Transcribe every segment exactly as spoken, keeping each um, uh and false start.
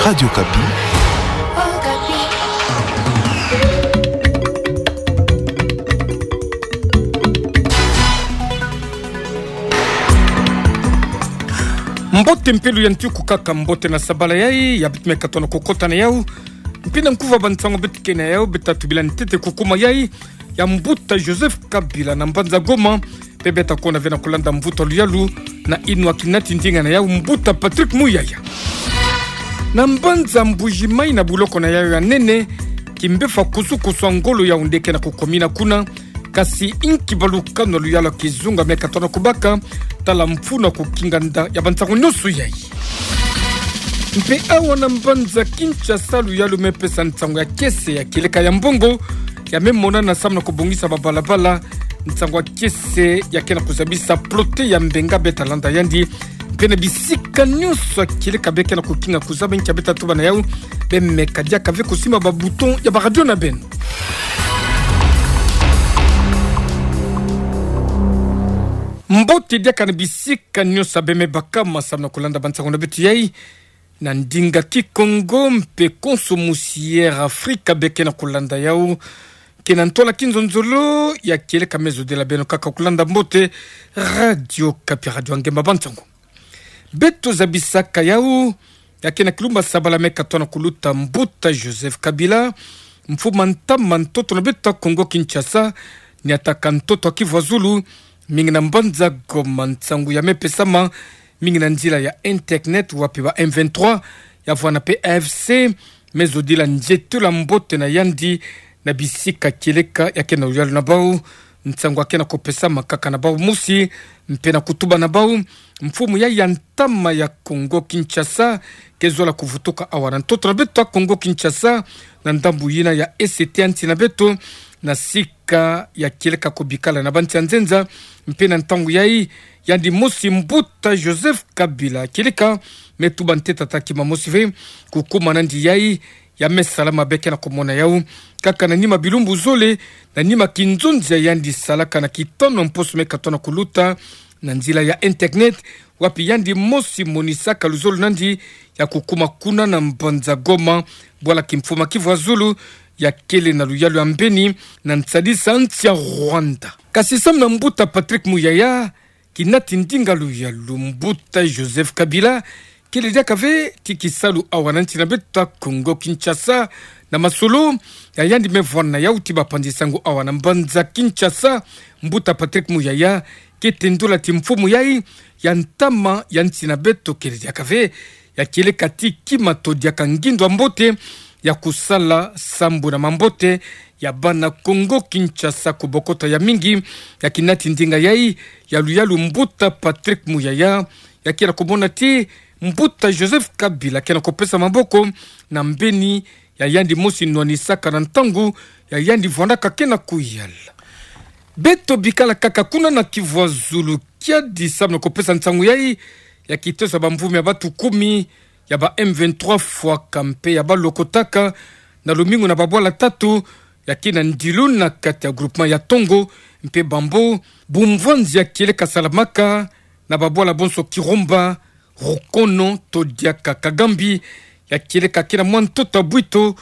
Radio Okapi. Mbote mpe luyanti kukaka mbote na sabala yayi, ya beto me katona kukota na yau. Mpe na nkuva ba nsangu beto ke na yau, beto tubila ntete kukuma yayi ya mbuta Joseph Kabila na mbanza Goma, mpe beto kona ve na kulanda mvutu wa luyalu na inwa kinati ndinga na yau mbuta Patrick Muyaya. Na mbanza Mbuji-Mayi na buloko na yau ya nene, kimbefa kusu-kusu wa ngolo yau nde ke na kukomina kuna, kasi inki balukanu wa luyalu ya kizunga me katona kubaka, tala mfunu wa kukinga nda ya ba nsangu nyonso yayi. Mpe awa na mbanza Kinshasa luyalu me pesa nsangu ya kiese ya kieleka ya mbongo, ya me monana samu na kubongisa ba balabala, nsangu ya kiese ya ke na kuzabisa prote ya mbenga beto landa yandi, mpe na bisika nyonso ya kieleka be ke na kukinga kuzaba nkia beto tuba na yau, be meka diaka ve kusimba ba bouton ya ba radio na beno. Mbote diaka na bisika nyonso ya be me bakama samu na kulanda ba nsangu na beto yayi, na ndinga Kikongo mpe konso musi Air Afrika be ke na kulanda yau, ke na ntwala kinzonzolo ya kieleka me zodila beno kaka kulanda mbote Radio Okapi, radio ya ngemba ba nsangu. Beto zabisaka yau, ya ke na kilumba sabala me katona kuluta mbuta Joseph Kabila, mfumu a ntama ntoto na beto Kongo Kinshasa, niataka ntoto wa Kivu Zulu, mingi na mbanza Goma nsangu ya me pesama, mingi na nzila ya internet wapi ba M vingt-trois, ya vwanda mpe A F C, me zodila nzietolo ya mbote na yandi, na bisika kieleka ya ke na luyalu na bau, nsangu ya ke na kupesama kaka na bau mosi, mpe na kutuba na bau, mfumu yayi ya ntama ya Kongo Kinshasa, ke zola kuvutuka awa na ntoto na beto Kongo Kinshasa, na ndambu yina ya E C T ya nsi na beto, na sika ya kieleka kubikala na ba nsi ya nzenza, mpe na ntangu yayi, yandi mosi mbuta Joseph Kabila, kieleka, me tuba ntete ata kima mosi ve, kukuma nandi yayi, ya me sala mabe ke na kumona yau, kaka na nima bilumbu zole, na nima kinzonzi ya yandi salaka na kitono mposo me katona kuluta, na nzila ya internet, wapi yandi mosi monisaka luzolo nandi, ya kukuma kuna na mbanza Goma, bwala kimfumu a Kivu Zulu, ya kele na luyalu ya mbeni, na nsadisa nsi ya Rwanda. Kasi samu na mbuta Patrick Muyaya, kinati ndinga luyalu mbuta Joseph Kabila, kele diaka ve ti kisalu awa na nsi na beto Kongo Kinshasa, na masolo ya yandi me vwanda yau ti bapanzi sango awa na mbanza Kinshasa, mbuta Patrick Muyaya, ke tendola ti mfumu yayi ya ntama ya nsi na beto kele diaka ve, ya kieleka ti kima to diaka ngindu ya mbote, ya kusala sambu na mambote ya bana Kongo Kinshasa, kubokota ya mingi, ya kinati ndinga yayi ya luyalu mbuta Patrick Muyaya, ya ke na kumona ti mbuta Joseph Kabila ke na kupesa maboko na mbeni ya yandi mosi nwanisaka na ntangu ya yandi vwandaka ke na kuyala. Beto bikala kaka kuna na Kivu Zulu, kiadi samu na kupesa nsangu yayi ya kitosa ba mvumi ya batu kumi ya ba M vingt-trois fwaka mpe ya balokotaka na lumingu na babwala tatu ya ke na ndilu na kati ya groupement ya Tongo, mpe bambo bumvwanzi ya kieleka salamaka na babwala bonso Kirumba, Rukono to diaka Kagambi, ya kieleka ke na mwa ntoto bwito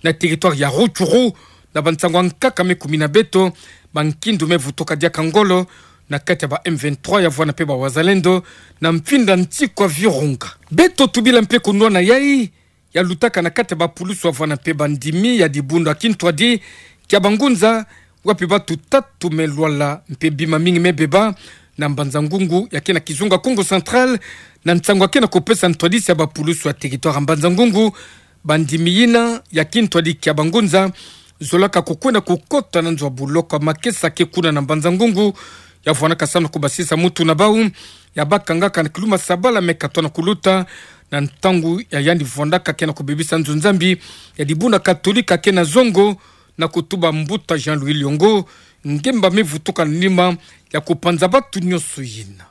na territoire ya Rutshuru, na bansango ya nkaka me kumina beto, bankindu me vutuka diaka ngolo na kati ya ba M vingt-trois ya vwanda mpe ba Wazalendo na mfinda nsi kwa Virunga. Beto tubila mpe kunwana yayi ya lutaka na kati ya bapulusu ya vwanda mpe bandimi ya dibundu ya kintwadi kia bangunza, wapi batu tatu me lwala mpe bima mingi me beba na Mbanza Ngungu ya ke na kizunga Kongo Central, na nsango ya ke na kupesa ntwadisi ya bapulusu ya territoire ya Mbanza Ngungu. Bandimi yina ya kintwadi kia bangunza zolaka kukwenda kukota na nzo ya buloko ya Makesa ke kuna na Mbanza Ngungu, ya vwandaka samu na kubasisa mutu na bau ya bakangaka na kiluma sabala me katona kuluta, na ntangu ya yandi vwandaka ke na kubebisa nzo Nzambi ya dibundu ya Katolika ke na zongo, na kutuba mbuta Jean-Louis Liongo, ngemba me vutuka na nima ya kupanza batu nyonso yina.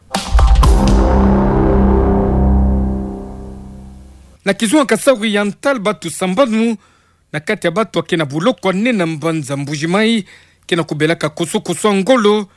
Na kizunga Kasaï Oriental, batu sambanu na kati ya batu ya ke na buloko ya nene na Mbanza Mbuji-Mayi ke na kubelaka kusu-kusu ya ngolo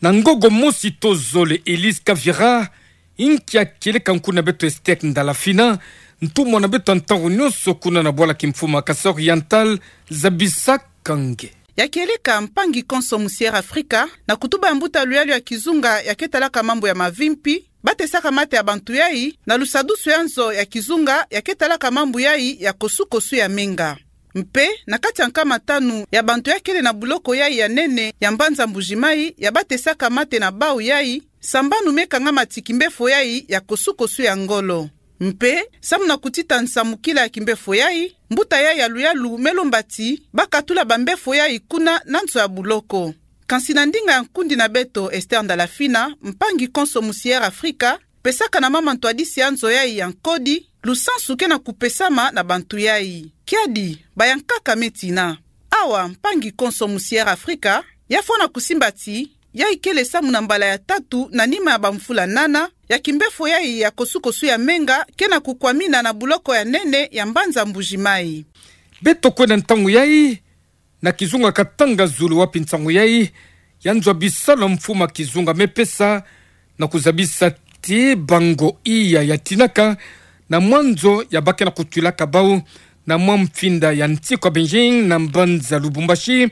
na ngogo mosi to zole, Elise Kavira, inki ya kieleka nkuna beto Esther Ndala Fina, Ntumwa na beto ya ntangu nyonso kuna na bwala kimfumu ya Kasaï Oriental, zabisaka nge. Ya kieleka, mpangi konso mu Sierra Afrika, na kutuba ya mbuta luyalu ya kizunga ya ke talaka mambu ya mavimpi, batesaka mate ya bantu yai, na lusadusu ya nzo ya kizunga ya ke talaka mambu yai ya kosukosu ya menga. Mpe, na kati ya nkama tanu ya bantu ya kele na buloko yai ya nene ya mbanza Mbuji-Mayi ya batesaka mate na bau yai, sambanu me kangama ti kimbefo yai ya kosukosu ya ngolo. Mpe, samu na kutita nsamukila ya kimbefo yai, mbuta yai ya luyalu me lomba ti bakatula bambefo yai kuna na nzo ya buloko. Kansi na ndinga ya nkundi na beto Esther Ndalafina, mpangi konso mu Sierra Afrika, pesaka na mama ntwadisi ya nzo yai ya nkodi, lusansu ke na kupesama na bantu yai. Kiadi, bayankaka me tina. Awa, mpangi konso mu Sierra Afrika, ya fwana kusimba ti, yai kele samu na mbala ya tatu na nima ya bamvula nana, ya kimbefo yai ya kosukosu ya menga ke na kukwamina na buloko ya nene ya mbanza Mbuji-Mayi. Beto kwenda ntangu yai, na kizunga Katanga Zulu, wapi nsangu yai ya nzo ya bisalu ya mfumu ya kizunga me pesa, na kuzabisa ti bango iya ya tinaka na mwa nzo ya ba ke na kutwilaka bau na mwa mfinda ya nsiku ya Benjing na mbanza Lubumbashi,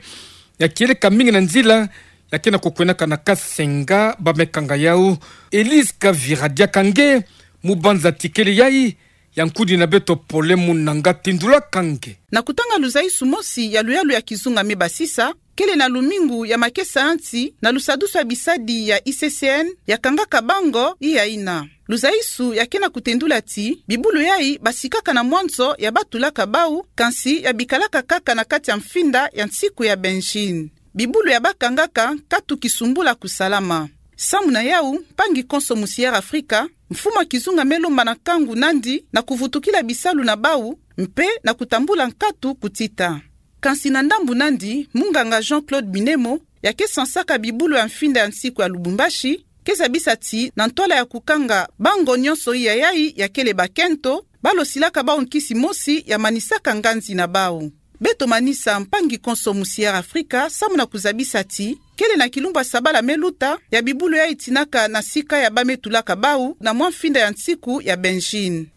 ya kieleka mingi na nzila ya ke na kukwendaka na Kasenga, ba me kanga yau. Elise Kavira diaka nge mu banza tikele yai, ya nkundi na beto Pole Munanga tindulaka nge. Na kutanga luzaisu mosi ya luyalu ya kizunga me basisa, kele na lumingu ya makesayansi na lusadusu ya bisadi ya I C C N ya kangaka bango iya ina. Luzaisu ya ke na kutendula ti, bibulu yai basikaka na mwa nzo ya batulaka bau, kansi ya bikalaka kaka na kati ya mfinda ya nsiku ya Benjing. Bibulu ya ba kangaka nkatu kisumbula kusalama. Samu na yau, mpangi konso mu Sierra Afrika, mfumu ya kizunga me lomba na nkangu nandi na kuvutukila bisalu na bau, mpe na kutambula nkatu kutita. Kansi na ndambu nandi, munganga Jean-Claude Binemo, ya ke sansaka bibulu ya mfinda ya nsiku ya Lubumbashi, ke zabisa ti na ntwala ya kukanga bango nyonso iya yai ya kele bakento, ba losilaka bau nkisi mosi ya manisaka nganzi na bau. Beto manisa mpangi konso mu Sierra Afrika samu na kuzabisa ti, kele na kilumbu ya sabala me luta, ya bibulu yai tinaka na sika ya ba me tulaka bau na mwa mfinda ya nsiku ya Benjing.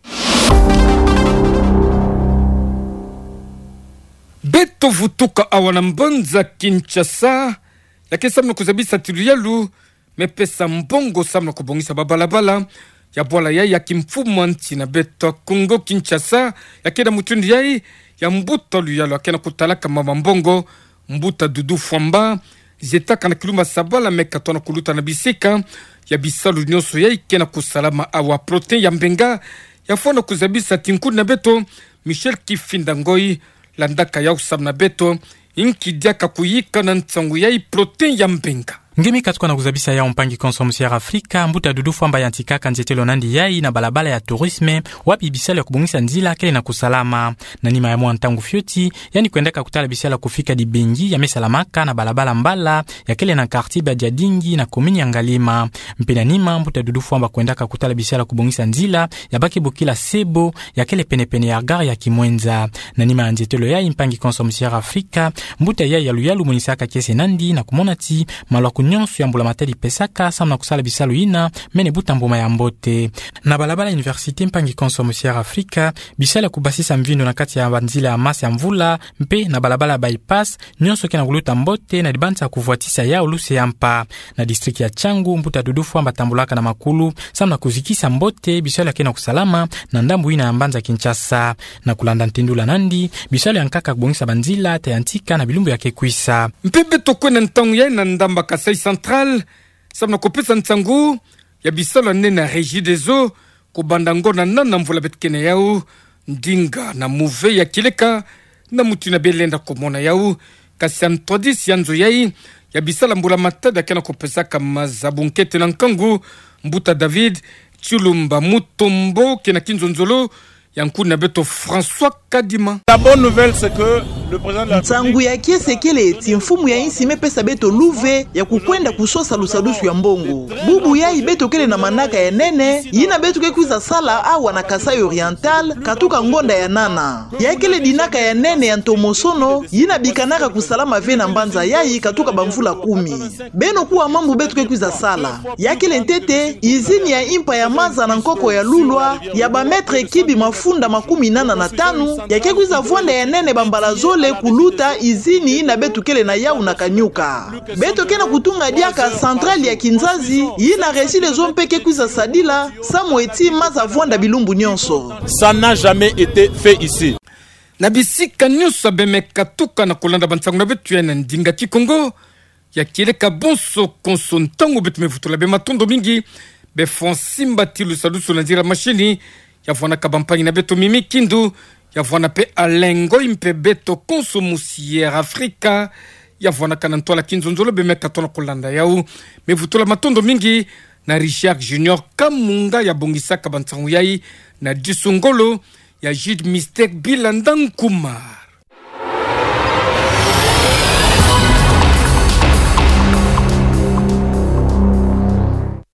Beto vutuka awa na mbanza Kinshasa, ya ke samu na kuzabisa ti luyalu me pesa mbongo samu na kubongisa babalabala ya bwala yai ya kimfumu ya nsi na beto Kongo Kinshasa, ya ke na mutindu yai ya mbuta luyalu ya ke na kutalaka mama mbongo, mbuta Doudou Fwamba, zietaka na kilumbu ya sabala me katoa na kuluta na bisika ya bisalu nyonso yai ke na kusalama awa. Protin Yambenga, ya fwana kuzabisa ti nkundi na beto Michel Kifinda Ngoy landaka yau samu na beto. Nki diaka kuyika na nsangu yai, Protin Yambenga? Nge me katuka na kuzabisa yau, mpangi konso mu Sierra Afrika, mbuta Doudou Fwamba yantikaka nzietelo nandi yai na balabala ya tourisme, wapi bisalu ya kubongisa nzila kele na kusalama. Na nima ya mwa ntangu fioti, yandi kwendaka kutala bisalu ya kufika dibengi ya me salamaka na balabala mbala ya kele na quartier Badiadingi na commune ya Ngalima. Mpe na nima, mbuta Doudou Fwamba kwendaka kutala bisalu ya kubongisa nzila ya ba ke bokila Sebo, ya kele penepene ya gare ya Kimwenza. Na nima ya nzietelo yai, mpangi konso mu Sierra Afrika, mbuta yai ya luyalu monisaka kiese nandi na kumona ti maluaku nyonso ya mbula-matadi pesaka samu na kusala bisalu yina mene buta mbuma ya mbote. Na balabala Université, mpangi konso mu Sierra Afrika, bisalu ya kubasisa mvindu na kati ya banzila ya masa ya mvula, mpe na balabala bypass, nyonso ke na kuluta mbote na dibanza ya kuvwatisa yau luse ya mpa. Na district ya Tshangu, mbuta Doudou Fwamba tambulaka na makulu samu na kuzikisa mbote bisalu ya ke na kusalama na ndambu yina ya mbanza Kinshasa. Na kulanda ntendula nandi, bisalu yankaka kubongisa banzila ta yantika na bilumbu ya ke kwisa. Mpe beto kwenda ntangu yai na ndamba Kasaï Central samu na kupesa nsangu ya bisalu ya nene ya Regideso, kubanda ngo na nana mvula beto ke na yau, ndinga na muve ya kieleka na mutindu yina belenda kumona yau. Kasi ya ntwadisi ya nzo yai ya bisalu ya mbula-matadi ya ke na kupesaka mazabu nkete na nkangu, mbuta David Tshilumba Mutombo, ke na kinzonzolo ya nkundi na beto François Kadima. La bonne nouvelle, c'est que Nsangu ya kiese kele ti mfumu ya insi mepesa beto luve ya kukwenda kusosa lusadusu ya mbongo. Bubu yayi beto kele na manaka ya nene, yina beto ke kwiza sala awa na Kasaï Oriental, katuka ngonda ya nana. Ya kele dinaka ya nene ya ntomosono, yina bikanaka kusalama ve na mbanza yayi katuka bamvula kumi. Beno kuwa mambu beto ke kwiza sala. Ya kele ntete, izini ya impa ya maza na nkoko ya Lulwa, ya ba mètre cube mafunda makumi nana na tanu, ya ke kwiza vwanda ya nene bambala zole kuluta izini yina beto kele na yawu na Kanyuka. Beto ke na kutunga diaka centrale ya Kinzazi, yina Regideso mpe ke kwiza sadila, samu ti maza vwanda bilumbu nyonso. Ça n'a jamais été fait ici. Na bisika nyonso abe me katuka na kulanda bansangu na beto ya na ndinga Kikongo, ya kieleka bonso konso ntangu beto me vutula be matondo mingi, be Francine Mbati lusadusu na nzila mashini, ya vwanaka bampangi na beto Mimi Kindu, ya vwana mpe Alain Ngoyi mpe beto konso musi Air Afrika, ya vwanaka na ntwala kinzonzolo be me katuka na kulanda yawu. Me vutula matondo mingi na Richard Junior Kamunga ya bongisaka bansangu yayi na disu ngolo, ya Jude Mistake Bilanda Nkuma.